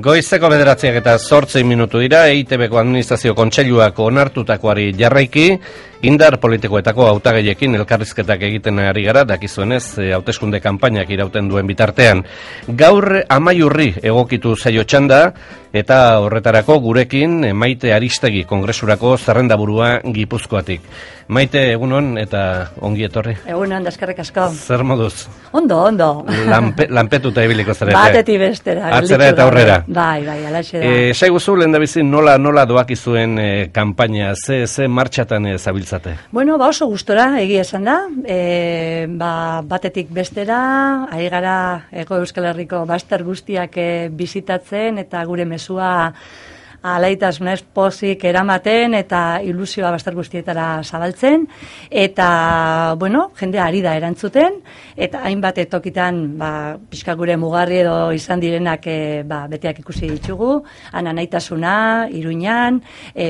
Goizeko 9:08 dira, EITBko administrazio kontseiluak onartutakoari jarraiki, indar politikoetako hautagaiekin elkarrizketak egiten ari gara, dakizuenez, hauteskunde kanpainak irauten duen bitartean. Gaur Amaiurri egokitu zaio txanda, eta horretarako gurekin Maite Aristegi kongresurako zerrendaburua Gipuzkoatik. Maite, egunon eta ongi etorri. Egunon, eskerrik asko. Zer moduz? Ondo. Lanpetuta ibiliko zarete. Batetik bestera. Atzera eta aurrera. Bai, alaxe da. Saiguzu lehendabizi nola doakizuen kanpaina, ze martxatan zabiltzate? Bueno, oso gustora, egia esan da. Batetik bestera, ari gara Hego Euskal Herriko bazter guztiak bisitatzen eta gure mesua alaitasunez pozik eramaten eta ilusioa bazter guztietara zabaltzen eta, jendea ari da erantzuten eta hainbat tokitan, pixka gure mugarri edo izan direnak beteak ikusi ditugu, anaitasuna, Iruñan,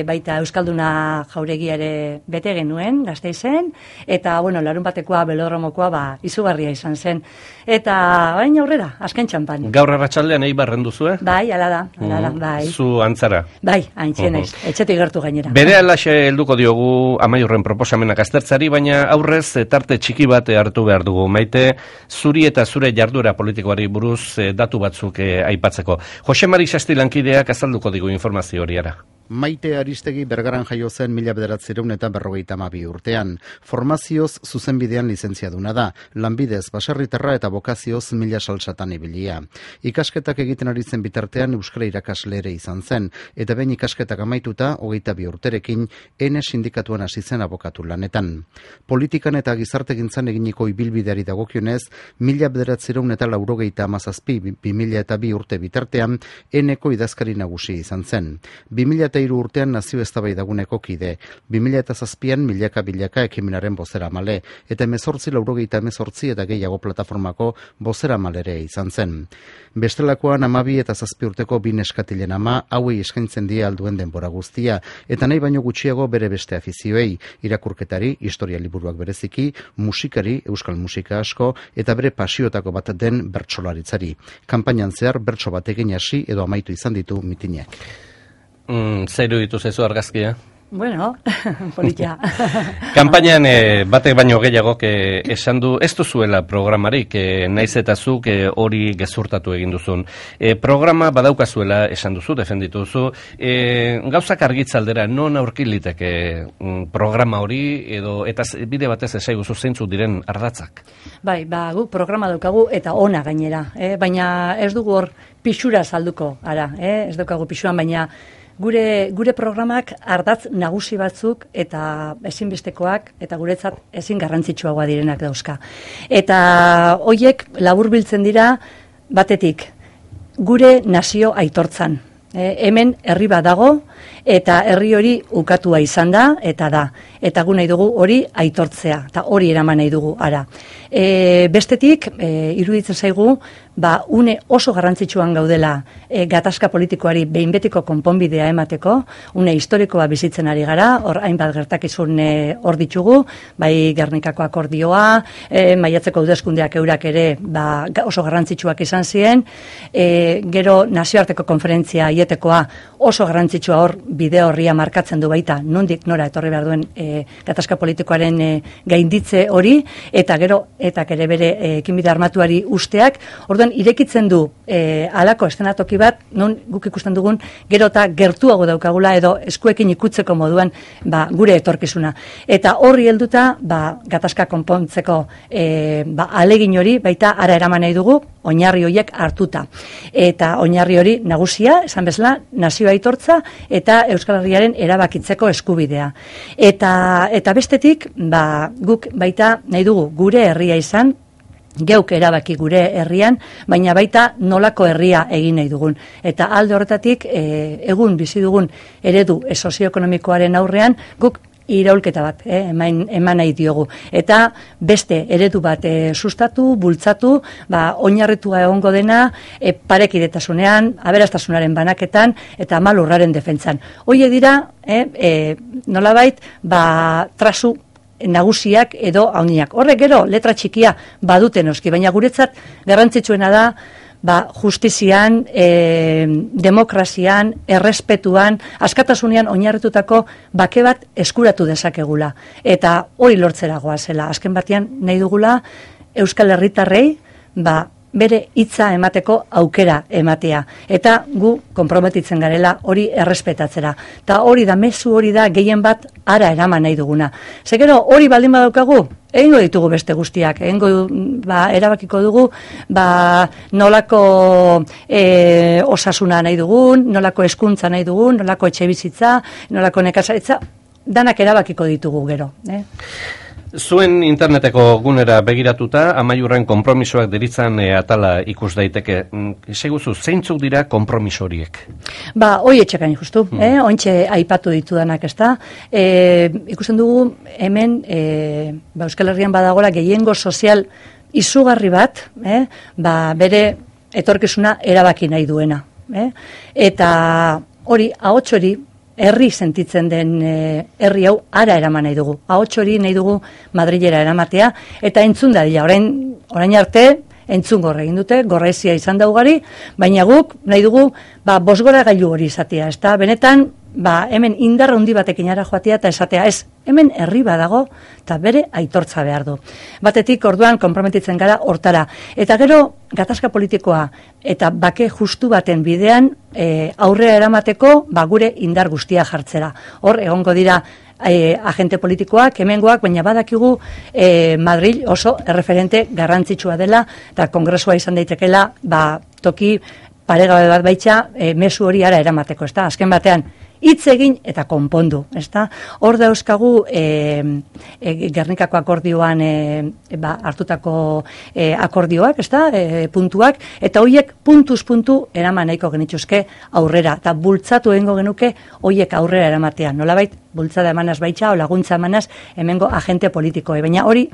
baita Euskalduna jauregia ere bete genuen, Gasteizen, eta, larun batekoa, belodromokoa, izugarria izan zen. Eta, bain aurrera, azken txampan. Gaur arratsaldean eibarren duzue? Bai, ala da, bai. Zu antzara? Bai, haintzien naiz, etxetik gertu gainera. Bere alaxe helduko diogu Amaiurren proposamenak aztertzari, baina aurrez tarte txiki bat hartu behar dugu. Maite, zuri eta zure jarduera politikoari buruz datu batzuk aipatzeko. Jose Mari Sasti lankideak azalduko digu informazio horiara. Maite Aristegi Bergaran jaio zen 1952 urtean. Formazioz zuzenbidean lizentziaduna da, lanbidez baserritarra eta bokazioz mila salsatan ibilia. Ikasketak egiten ari zen bitartean euskara irakasle ere izan zen, eta behin ikasketak amaituta 22 urterekin Ene sindikatuan hasi zen abokatu lanetan. Politikan eta gizartegintzan eginiko ibilbideari dagokionez, 1987-2002 urte bitartean Eneko idazkari nagusi izan zen. 2003 urtean nazio eztabaidaguneko kide, 2007an milaka ekimenaren bozeramale, eta 1988 eta gehiago plataformako bozeramalere izan zen. Bestelakoan 12 eta 7 urteko bi neskatilen ama hauei eskaintzen die alduen denbora guztia, eta nahi baino gutxiago bere beste afizioei, irakurketari, historia liburuak bereziki, musikari, euskal musika asko, eta bere pasiotako bat den bertsolaritzari. Kanpainan zehar bertso batekin hasi edo amaitu izan ditu mitinak. Zeiru dituzezu argazkia? Bueno, politia. Kanpainan batek baino gehiagok esan du, ez duzuela programarik, naiz eta zuk hori gezurtatu egin duzun. Programa badaukazuela esan duzu, defenditu duzu. Gauzak argitzaldera, non aurkiliteke programa hori, eta bide batez esaiguzu zeintzuk diren ardatzak? Bai, guk programa daukagu eta ona gainera, baina ez dugu hor pixura salduko, ez daukagu pixuan, baina Gure programak ardatz nagusi batzuk eta ezinbestekoak eta guretzat ezin garrantzitsuagoa direnak dauzka. Eta hoiek laburbiltzen dira batetik gure nazio aitortzan. Hemen herri bat dago eta herri hori ukatua izan da eta da. Eta gu nahi dugu hori aitortzea eta hori eraman nahi dugu ara. Bestetik, iruditzen zaigu, une oso garrantzitsuan gaudela gatazka politikoari behin betiko konponbidea emateko, une historikoa bizitzen ari gara, hor hainbat gertakizun hor ditugu, bai Gernikako akordioa, maiatzeko hauteskundeak eurak ere oso garrantzitsuak izan ziren, gero nazioarteko konferentzia aietekoa oso garrantzitsua hor bide horria markatzen du baita, nondik nora etorri behar duen gatazka politikoaren gainditze hori, eta gero etak ere bere ekinbide armatuari usteak, orduan irekitzen du halako eszenatoki bat, non guk ikusten dugun gero eta gertuago daukagula edo eskuekin ikutzeko moduan gure etorkizuna. Eta horri helduta gatazka konpontzeko alegin hori baita ara eraman nahi dugu, oinarri horiek hartuta. Eta oinarri hori nagusia, esan bezala, nazio aitortza eta Euskal Herriaren erabakitzeko eskubidea. Eta bestetik, guk baita nahi dugu gure herria izan, geuk erabaki gure herrian, baina baita nolako herria egin nahi dugun. Eta alde horretatik, egun bizi dugun eredu sozioekonomikoaren aurrean, guk iraulketa bat eman nahi diogu. Eta beste eredu bat sustatu, bultzatu, oinarritua egongo dena parekidetasunean, aberastasunaren banaketan eta malurraren defentsan. Hoie dira, nolabait, trasu nagusiak edo handiak. Horrek gero letra txikia baduten oski, baina guretzat garrantzitsuena da justizian, demokrazian, errespetuan, askatasunean oinarritutako bake bat eskuratu dezakegula. Eta hori lortzera goazela. Azken batean nahi dugula Euskal Herritarrei bere hitza emateko aukera ematea. Eta gu konprometitzen garela hori errespetatzera. Eta hori da, mezu hori da gehien bat ara eraman nahi duguna. Zekero hori baldin badaukagu, egingo ditugu beste guztiak, erabakiko dugu, nolako osasuna nahi dugun, nolako hezkuntza nahi dugun, nolako etxebizitza, nolako nekazaritza, danak erabakiko ditugu gero. Zuen interneteko gunera begiratuta, Amaiurren konpromisoak deritzan atala ikus daiteke. Seguzu, zeintzuk dira konpromiso horiek? Hoi etxekain justu, ointxe aipatu ditudanak, ez da. Ikusten dugu hemen Euskal Herrian badagora gehiengo sozial izugarri bat, bere etorkizuna erabaki nahi duena. Eta hori, ahots hori, herri sentitzen den herri hau ara eraman nahi dugu. Ahots hori nahi dugu Madrilera eramatea, eta entzun da dira, orain arte, entzun gorre egin dute, gorrezia izan da ugari, baina guk nahi dugu bosgora gailu hori izatea, ez da, benetan, hemen indarra handi batekin ara joatea eta esatea, ez, hemen herri badago eta bere aitortza behar du. Batetik orduan konprometitzen gara hortara. Eta gero gatazka politikoa eta bake justu baten bidean aurrera eramateko gure indar guztia jartzera. Hor egongo dira agente politikoak, hemengoak, baina badakigu Madril oso erreferente garrantzitsua dela eta kongresua izan daitekela toki paregabe bat baitza mezu hori ara eramateko, ezta? Azken batean hitz egin eta konpondu, ezta? Hor dauzkagu Gernikako akordioan hartutako akordioak, ezta? Puntuak, eta hoiek puntuz puntu eraman nahiko genituzke aurrera, eta bultzatu egingo genuke hoiek aurrera eramatean. Nolabait bultzada emanaz baitza o laguntza emanaz hemengo agente politikoe, baina hori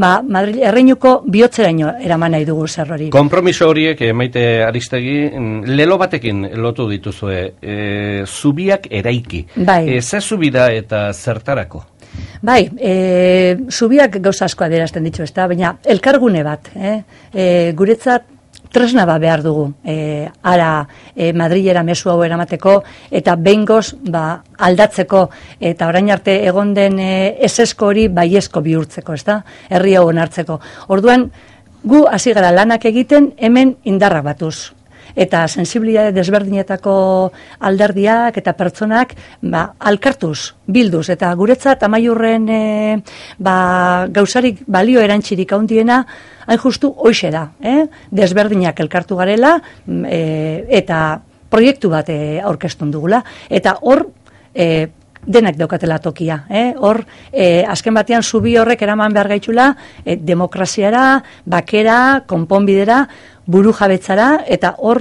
Madrid erreinuko bihotzeraino eraman nahi dugu zer hori. Konpromiso horiek, Maite Aristegi, lelo batekin lotu dituzue, zubiak eraiki. Ze zubida eta zertarako? Zubiak gauza asko adierazten ditu, ez da, baina elkargune bat, guretzat tresna behar dugu, ara Madrilera mezu hau eramateko, eta behingoz aldatzeko, eta orain arte egon den esesko hori baiezko bihurtzeko, ez da? Herri hau onartzeko. Orduan, gu hasi gara lanak egiten hemen indarra batuz. Eta sensibilitate desberdinetako alderdiak eta pertsonak alkartuz, bilduz, eta guretzat Amaiurren gauzarik balio erantzirik handiena hain justu hoxe da, desberdinak elkartu garela eta proiektu bat aurkeztun dugula, eta hor denak daukatela tokia, hor azken batean zubi horrek eraman behar gaitxula demokraziara, bakera, konponbidera, buru jabetzara, eta hor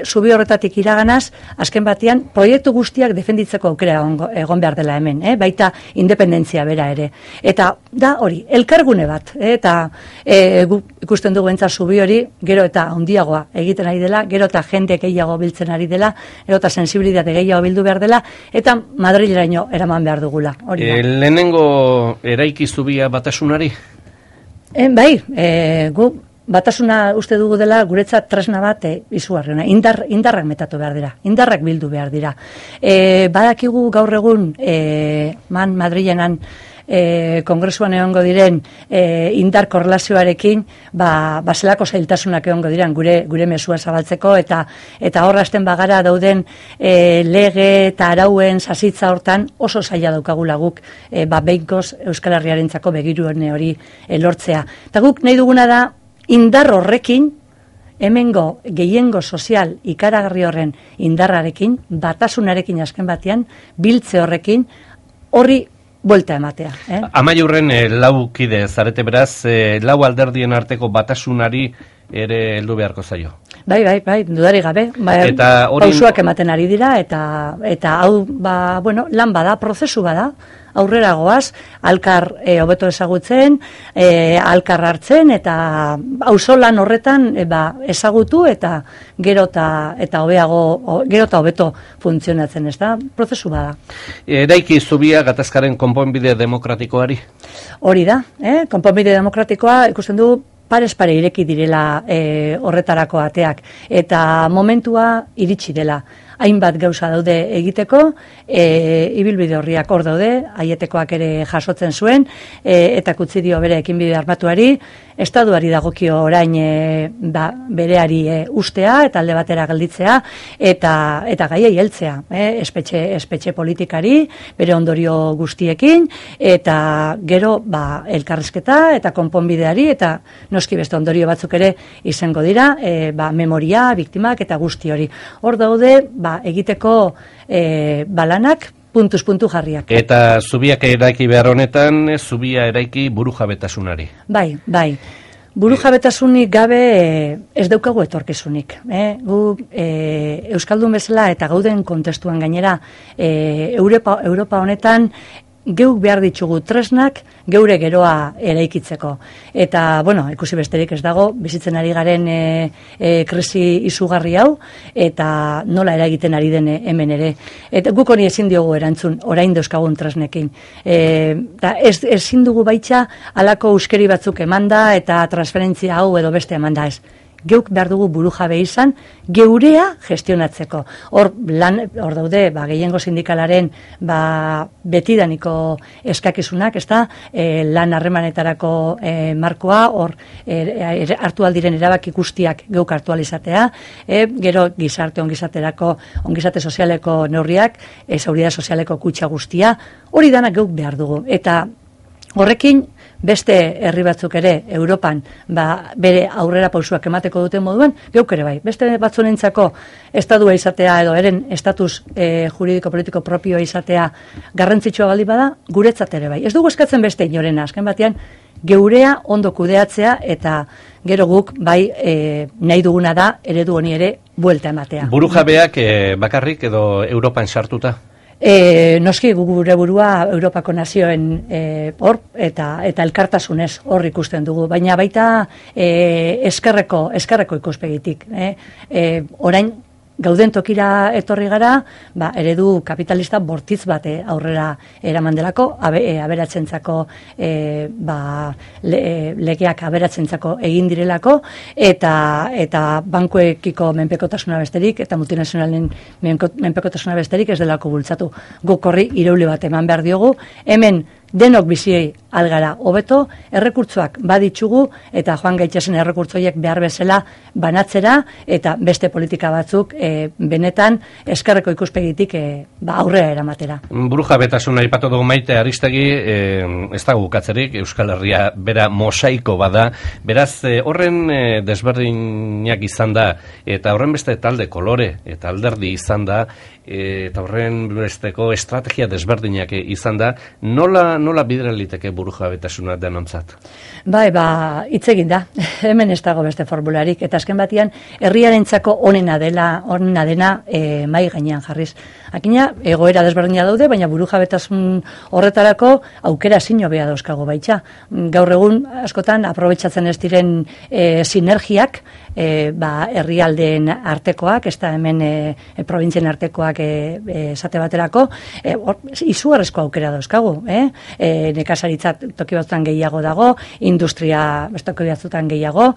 zubi horretatik iraganaz, azken batean proiektu guztiak defenditzeko aukera egon behar dela hemen, baita independentzia bera ere. Eta da hori, elkargune bat, eta ikusten dugu entza zubi hori, gero eta handiagoa egiten ari dela, gero eta jende gehiago biltzen ari dela, gero eta sensibilitate gehiago bildu behar dela, eta Madrileraino eraman behar dugula. Lehenengo eraiki zubia batasunari? Gu batasuna uste dugu dela guretzat tresna bat izugarriona. Indarrak metatu behar dira, indarrak bildu behar dira. Badakigu gaur egun Madrilenan kongresuan egongo diren indar korrelazioarekin zelako zailtasunak egongo diren gure mezua zabaltzeko, eta horrazten bagara dauden lege eta arauen sasitza hortan oso zaila daukagula guk behingoz Euskal Herriarentzako begirune hori lortzea. Eta guk nahi duguna da indar horrekin, hemengo gehiengo sozial ikaragarri horren indarrarekin, batasunarekin azken batean, biltze horrekin, horri buelta ematea. Amaiurren lau kide zarete beraz, lau alderdien arteko batasunari ere heldu beharko zaio. Bai, dudari gabe. Pausuak ematen ari dira, eta hau, lan bada, prozesu bada, aurrera goaz, alkar hobeto ezagutzen, alkar hartzen, eta auzolan horretan ezagutu, eta gero eta hobeto funtzionatzen, ez da? Prozesu bada. Eraiki zubia gatazkaren konponbide demokratikoari? Hori da, konponbide demokratikoa ikusten du parez pare ireki direla horretarako ateak, eta momentua iritsi dela. Hainbat gauza daude egiteko, ibilbide horriak hor daude, Aietekoak ere jasotzen zuen, eta kutzi dio bere ekinbide armatuari, Estatuari dagokio orain bereari ustea eta alde batera gelditzea eta gaiei heltzea, espetxe politikari, bere ondorio guztiekin, eta gero elkarrizketa eta konponbideari, eta noski beste ondorio batzuk ere izango dira, memoria, biktimak eta guzti hori. Hor daude, egiteko balanak, puntuz puntu jarriak. Eta zubiak eraiki behar honetan, zubia eraiki burujabetasunari. Bai. Burujabetasunik gabe ez daukagu etorkizunik. Gu Euskaldun bezala eta gauden kontestuan gainera Europa honetan geuk behar ditugu tresnak geure geroa eraikitzeko. Eta, ikusi besterik ez dago, bizitzen ari garen krisi izugarri hau, eta nola eragiten ari den hemen ere. Eta guk honi ezin diogu erantzun, orain dauzkagun tresnekin. Eta ezin dugu baitza halako euskeri batzuk emanda, eta transferentzia hau edo beste emanda ez. Geuk behar dugu burujabe izan, geurea gestionatzeko. Hor daude, gehiengo sindikalaren betidaniko eskakizunak, lan harremanetarako markoa, hor hartu aldiren erabaki guztiak geuk hartu alizatea, gero gizarte ongizate sozialeko neurriak, seguridad sozialeko kutxa guztia, hori danak geuk behar dugu. Eta horrekin, beste herri batzuk ere Europan bere aurrera pausuak emateko duten moduan, geuk ere bai. Beste batzunentzako estadua izatea edo eren estatus juridiko-politiko propioa izatea garrantzitsua baldin bada, guretzat ere bai. Ez dugu eskatzen beste inorena, azken batean geurea ondo kudeatzea eta gero guk nahi duguna da eredu honi ere buelta ematea. Burujabeak bakarrik edo Europan sartuta? Noski gure burua Europako nazioen hor eta elkartasunez hor ikusten dugu, baina baita eskerreko ikuspegitik. Orain gauden tokira etorri gara, eredu kapitalista bortitz bate aurrera eraman delako, aberatzentzako legeak aberatzentzako egin direlako, eta bankuekiko menpekotasuna besterik, eta multinazionalen menpekotasuna besterik ez delako bultzatu. Guk horri irauli bat eman behar diogu, hemen denok biziei algara hobeto, errekurtzoak baditzugu, eta joan gaitxezen errekurtzoiek behar bezala banatzera, eta beste politika batzuk benetan eskerreko ikuspegitik aurrera eramatera. Burujabetasuna aipatu dugu Maite Aristegi, ez dago bukatzerik, Euskal Herria bera mosaiko bada, beraz horren desberdinak izan da, eta horren beste talde kolore, eta alderdi izan da, eta horren besteko estrategia desberdinak izan da, nola bidera liteke burujabetasuna denontzat? Hitz egin da, hemen ez dago beste formularik, eta azken batean herriarentzako onena dena mai gainean jarriz. Akina, egoera desberdina daude, baina burujabetasun horretarako aukera zino beha dauzkago baitza. Gaur egun, askotan, aprobetxatzen ez diren sinergiak, herrialdeen artekoak, ez da hemen provintzien artekoak esate baterako, izugarrezko aukera dauzkagu. Nekazaritza toki batzutan gehiago dago, industria toki batzutan gehiago,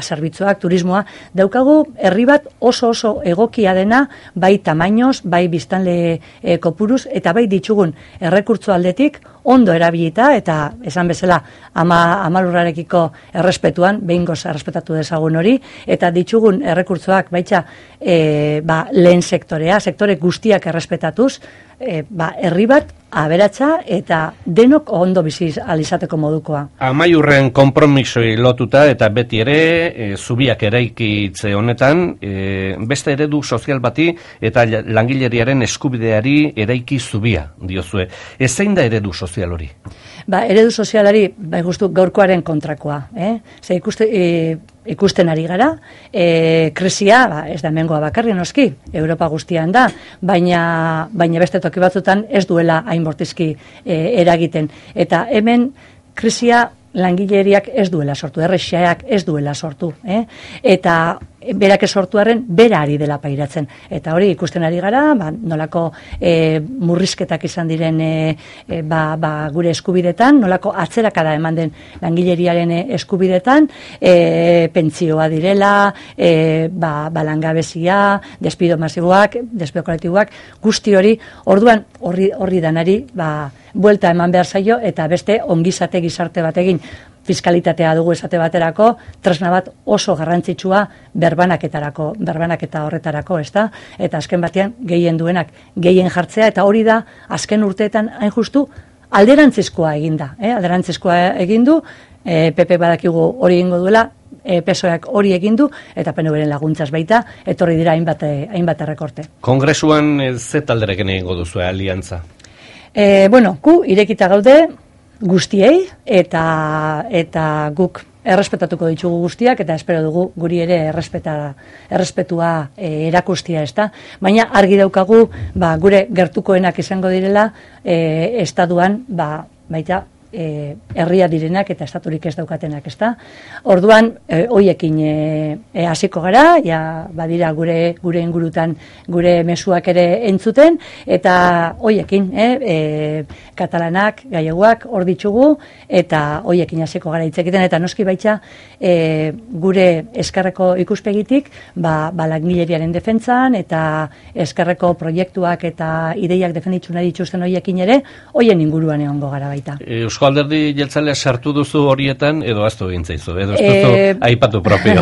zerbitzuak, turismoa, daukagu herri bat oso egokia dena, bai tamainoz, bai biztanle kopuruz, eta bai ditzugun errekurtso aldetik, ondo erabilita, eta esan bezala amalurrarekiko errespetuan, behingoz errespetatu dezagun hori, eta ditzugun errekurtzoak baitza lehen sektore guztiak errespetatuz, herri bat aberatsa eta denok ondo bizi alizateko modukoa. Amaiurren konpromisoi lotuta eta beti ere zubiak eraikitze honetan beste eredu sozial bati eta langileriaren eskubideari eraiki zubia diozue. Zein da eredu sozial hori? Eredu sozialari justu gaurkoaren kontrakoa. Ze ikusten ari gara, krisia, ez da hemengoa bakarri noski, Europa guztian da, baina beste toki batzutan ez duela hain bortizki eragiten. Eta hemen krisia langileriak ez duela sortu, RSAak ez duela sortu, eta berak sortuaren bera ari dela pairatzen. Eta hori ikusten ari gara, nolako murrizketak izan diren gure eskubidetan, nolako atzerakada eman den langileriaren eskubidetan, pentsioa direla, langabezia, despido masiboak, despido kolektiboak, guzti hori, orduan horri danari, buelta eman behar zaio, eta beste ongizate gizarte bat egin. Fiskalitatea dugu esate baterako, tresna bat oso garrantzitsua berbanaketa horretarako, ezta? Eta azken batean gehien duenak gehien jartzea, eta hori da azken urteetan hain justu alderantzizkoa eginda, alderantzizkoa egindu, PP badakigu hori egingo duela, PSOEak hori egin du, eta PNVren laguntzaz baita, etorri dira hainbat errekorte. Kongresuan ze talderekin egingo duzu aliantza? Gu irekita gaude, guztiei, eta guk errespetatuko ditugu guztiak, eta espero dugu guri ere errespetua erakustia, ezta? Baina argi daukagu, gure gertukoenak izango direla, estatuan, baita, herria direnak eta estaturik ez daukatenak, ezta? Orduan, hoiekin hasiko gara, badira gure ingurutan gure mezuak ere entzuten, eta hoiekin, katalanak, galleguak, hor ditugu, eta hoiekin hasiko gara hitz egiten, eta noski baita gure eskerreko ikuspegitik, langileriaren defentsan, eta eskerreko proiektuak eta ideiak defenditzu nahi dituzten hoiekin ere, hoien inguruan egongo gara baita. Eusko Alderdi Jeltzalea sartu duzu horietan, edo aztu egin zaizu, edo ez duzu aipatu propio.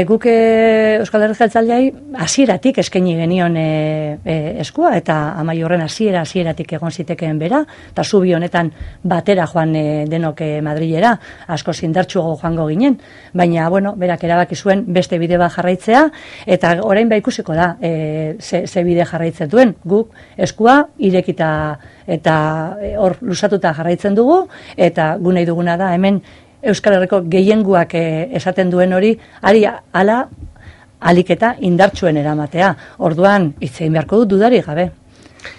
Guk Euskal Alderdi Jeltzaleai hasieratik eskaini genion eskua, eta Amaiurren hasieratik egon zitekeen bera, eta zubi honetan batera joan denok Madrilera, asko indartsuago joango ginen, baina, berak erabaki zuen beste bide bat jarraitzea, eta orain ikusiko da ze bide jarraitzen duen, guk eskua irekita eta hor lusatuta jarraitzen dugu, eta gu nahi duguna da hemen Euskal Herriko gehienguak esaten duen hori, alik eta indartsuen eramatea. Orduan, hitzein beharko dut dudari gabe.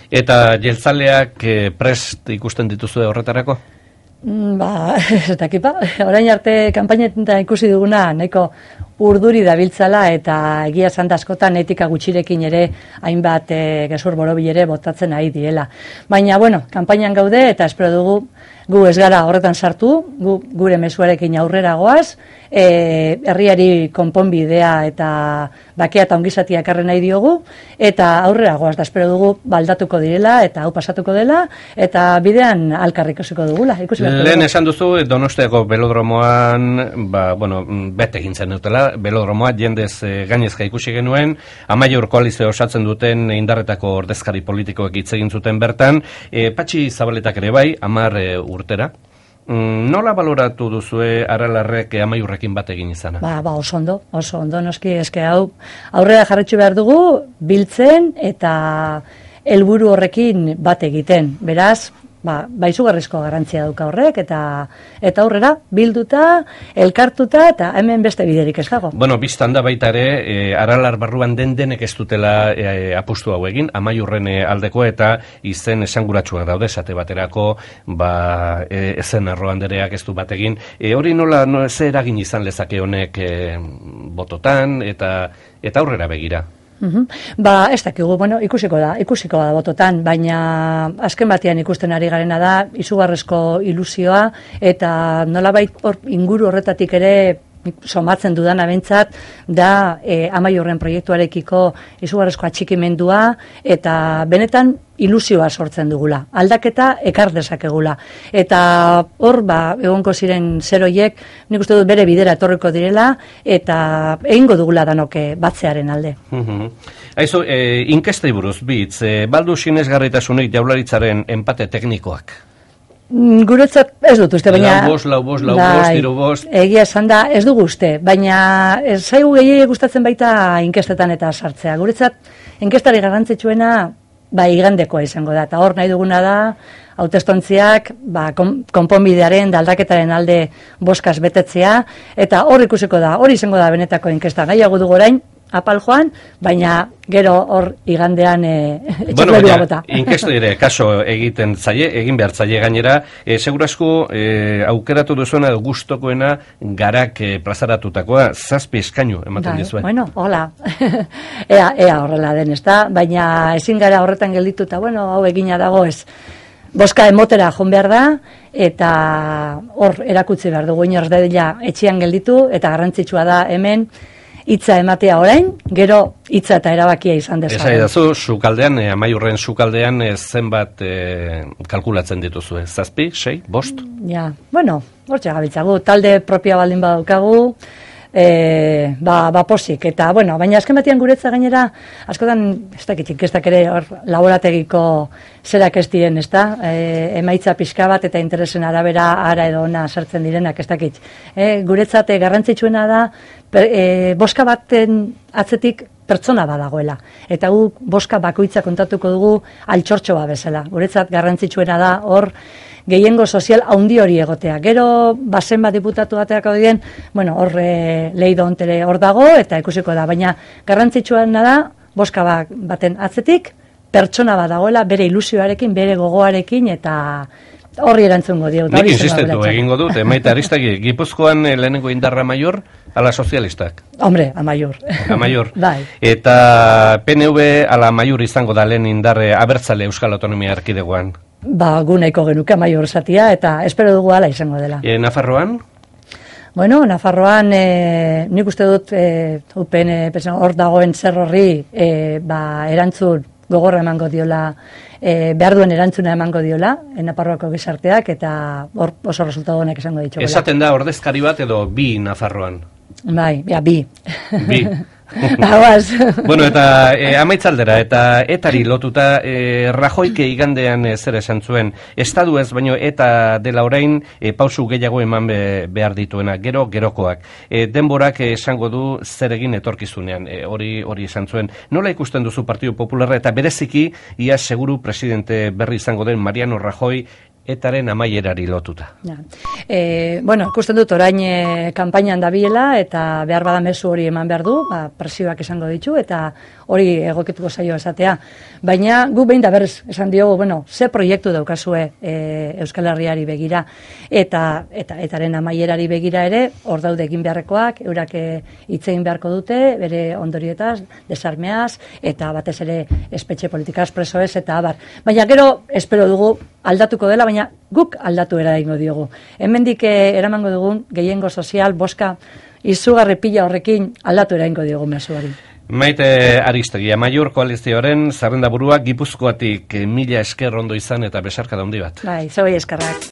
Eta jeltzaleak prest ikusten dituzu horretarako? Ez dakipa. Orain arte kanpainetan ikusi duguna nahiko urduri dabiltzala, eta egia esan askotan etika gutxirekin ere hainbat gezur borobil ere botatzen ari direla. Baina, kanpainan gaude, eta espero dugu gu ez gara horretan sartu, gure mezuarekin aurrera goaz, herriari konponbidea eta bakea eta ongizatia ekarri nahi diogu, eta aurrera goaz, da espero dugu baldatuko direla, eta hau pasatuko dela, eta bidean alkarrik ikusiko dugula. Lehen esan duzu, Donostiako belodromoan, bete egin zen dutela, belodromoa jendez gainezka ikusi genuen, Amaiur koalizio osatzen duten indarretako ordezkari politikoek hitz egin zuten bertan, Patxi Zabaletak ere bai, 10 urtera. Nola baloratu duzue Aralarrek Amaiurrekin bat egin izana? Oso ondo, noski, eske hau aurrera jarretxu behar dugu, biltzen eta helburu horrekin bat egiten. Beraz, izugarrizko garrantzia dauka horrek, eta aurrera bilduta, elkartuta, eta hemen beste biderik ez dago. Bistan da baita ere, Aralar barruan denek ez dutela apustu hau egin, Amaiurren aldeko eta izen esanguratsuak daude, esate baterako, ezen Arroandereak ez du bat egin. Hori nola, ze eragin izan lezake honek bototan, eta aurrera begira? Ez dakigu, ikusiko da bototan, baina azken batean ikusten ari garena da, izugarrezko ilusioa, eta nolabait inguru horretatik ere somatzen dudan abentzat, da Amaiurren proiektuarekiko izugarrezko atxikimendua, eta benetan ilusioa sortzen dugula, aldaketa ekar dezakegula. Eta hor, egonko ziren zeroiek, nik uste dut bere bidera etorriko direla, eta egingo dugula danoke batzearen alde. Aizu, inkestei buruz, bitz, baldu sinesgarritasunik Jaurlaritzaren enpate teknikoak? Guretzat ez dut uste, baina... Lau bost, hiru bost... Egia esan da, ez dugu uste, baina zaigu gehiago gustatzen baita inkestetan eta sartzea. Guretzat, inkestari garrantzitsuena, igandekoa izango da, eta hor nahi duguna da, hautestontziak, konponbidearen, aldaketaren alde boskaz betetzea, eta hor ikusiko da, hori izango da benetako inkesta. Nahiago dugu orain, apal joan, baina gero hor igandean baina, inkestu dire, kaso egiten zaie, egin behar zaie gainera, segurasko aukeratu duzuena edo gustokoena garak plazaratutakoa, 7 eskainu ematen dizue. Bueno, hola, ea horrela den, ezta? Baina ezin gara horretan geldituta, bueno, hau egina dago ez. Boska emotera joan behar da, eta hor erakutsi behar dugu inorz dadila etxean gelditu, eta garrantzitsua da hemen hitza ematea orain, gero hitza eta erabakia izan dezagun. Esa edazu, sukaldean, Amaiurren sukaldean zenbat kalkulatzen dituzu, 7, 6, 5? Ja, bueno, hortxe gabiltzagu, talde propia baldin badaukagu, posik, eta, bueno, baina azken batean guretza gainera, askotan, ez dakit, inkestak ere hor laborategiko zerak ez diren, ez da, emaitza pixka bat eta interesen arabera ara edo ona sartzen direnak, ez dakit. Guretzat garrantzitsuena da, boska baten atzetik pertsona badagoela, eta gu boska bakoitza kontatuko dugu altxortxo bat bezala. Guretzat garrantzitsuena da hor, gehiengo sozial haundi hori egotea. Gero, bazen bat diputatu bateako diren, bueno, hor leido ontere hor dago, eta ikusiko da, baina garrantzitsuena da, boska baten atzetik, pertsona bat dagoela, bere ilusioarekin, bere gogoarekin, eta horri erantzungo dio. Nik insistentu egingo dut, Maite Aristegi, Gipuzkoan lehenengo indarra Amaiur, ala sozialistak? Hombre, Amaiur. Amaiur. Bai. Eta PNV ala Amaiur izango da lehen indarre abertzale Euskal Autonomia Erkidegoan? Gu nahiko genuke Amaiur zatia, eta espero dugu ala izango dela. Nafarroan? Bueno, Nafarroan nik uste dut UPN hor dagoen zer horri erantzun gogorra emango diola, behar duen erantzuna emango diola, Nafarroako gizarteak, eta hor oso resultatu honek esango ditugu. Esaten da ordezkari bat edo bi Nafarroan? Bai, bi. Bi. Bueno, eta amaitzaldera, eta etari lotuta, Rajoyke igandean zer esan zuen, estadu ez, baino eta dela orain pausu gehiago eman behar dituena, gerokoak. Denborak esango du zer egin etorkizunean, hori esan zuen. Nola ikusten duzu Partidu Popularra, eta bereziki, ia seguru presidente berri izango den Mariano Rajoy, etaren amaierari lotuta. Bueno, ikusten dut orain kanpainan dabilela, eta behar bada mezu hori eman behar du, presioak esango ditu, eta hori egokituko zaio esatea. Baina gu behin da berriz esan diogu, bueno, ze proiektu daukazue Euskal Herriari begira, eta etaren amaierari begira ere, hor daude egin beharrekoak, eurak hitz egin beharko dute, bere ondorietaz, desarmeaz, eta batez ere espetxe politikaz, presoez, eta abar. Baina gero, espero dugu, aldatuko dela, baina guk aldatu eraingo diogu. Hemendik eramango dugun gehiengo sozial, boska, izugarri pila horrekin aldatu eraingo diogu mezuari. Maite Aristegi, Amaiur koalizioaren zerrendaburua Gipuzkoatik 1000 esker ondo izan eta besarka handi bat. Bai, zoi eskerrak.